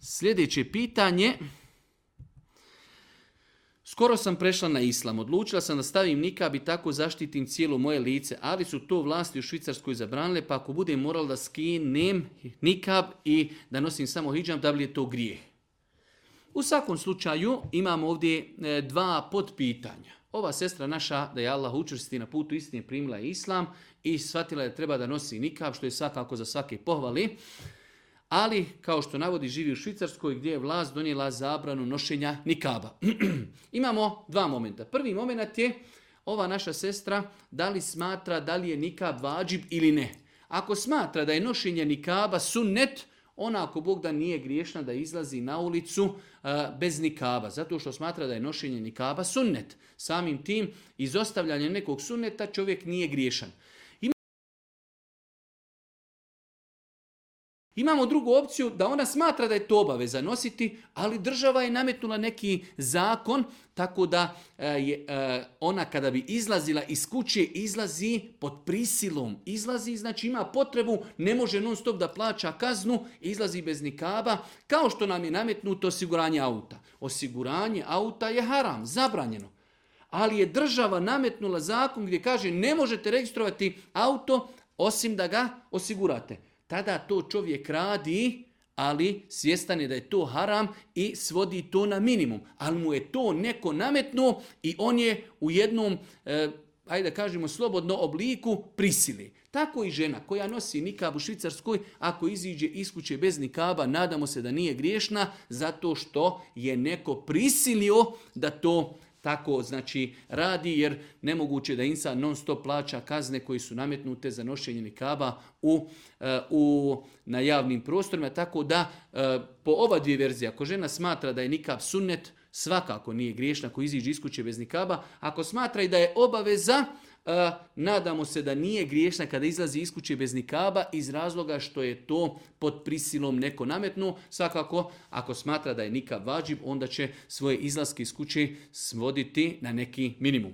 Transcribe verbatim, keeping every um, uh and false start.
Sljedeće pitanje. Skoro sam prešla na islam. Odlučila sam da stavim nikab i tako zaštitim cijelo moje lice, ali su to vlasti u Švicarskoj zabranile, pa ako budem moral da skinem nikab i da nosim samo hidžab, da li je to grijeh? U svakom slučaju imamo ovdje dva podpitanja. Ova sestra naša, da je Allah učvrsti na putu istine, primila je islam i shvatila da treba da nosi nikab, što je svakako za svake pohvali. Ali, kao što navodi, živi u Švicarskoj gdje je vlast donijela zabranu nošenja nikaba. Imamo dva momenta. Prvi moment je ova naša sestra da li smatra da li je nikab vađib ili ne. Ako smatra da je nošenje nikaba sunnet, ona ako Bog da nije griješna da izlazi na ulicu uh, bez nikaba. Zato što smatra da je nošenje nikaba sunnet. Samim tim, izostavljanjem nekog sunneta čovjek nije griješan. Imamo drugu opciju da ona smatra da je to obaveza nositi, ali država je nametnula neki zakon, tako da je ona kada bi izlazila iz kuće, izlazi pod prisilom. Izlazi, znači ima potrebu, ne može non stop da plaća kaznu, izlazi bez nikaba, kao što nam je nametnuto osiguranje auta. Osiguranje auta je haram, zabranjeno. Ali je država nametnula zakon gdje kaže ne možete registrovati auto osim da ga osigurate. Tada to čovjek radi, ali svjestan je da je to haram i svodi to na minimum. Ali mu je to neko nametnuo i on je u jednom, eh, ajde da kažemo slobodno obliku prisili. Tako i žena koja nosi nikab u Švicarskoj, ako iziđe iz kuće bez nikaba, nadamo se da nije griješna, zato što je neko prisilio da to tako znači radi, jer nemoguće da insan non stop plaća kazne koji su nametnute za nošenje nikaba u, u, na javnim prostorima. Tako da po ova dvije verzije, ako žena smatra da je nikab sunnet, svakako nije griješna ako iziđe iz kuće bez nikaba. Ako smatra i da je obaveza, Uh, nadamo se da nije griješna kada izlazi iz kuće bez nikaba iz razloga što je to pod prisilom neko nametnuo. Svakako, ako smatra da je nikab vađib, onda će svoje izlaske iz kuće svoditi na neki minimum.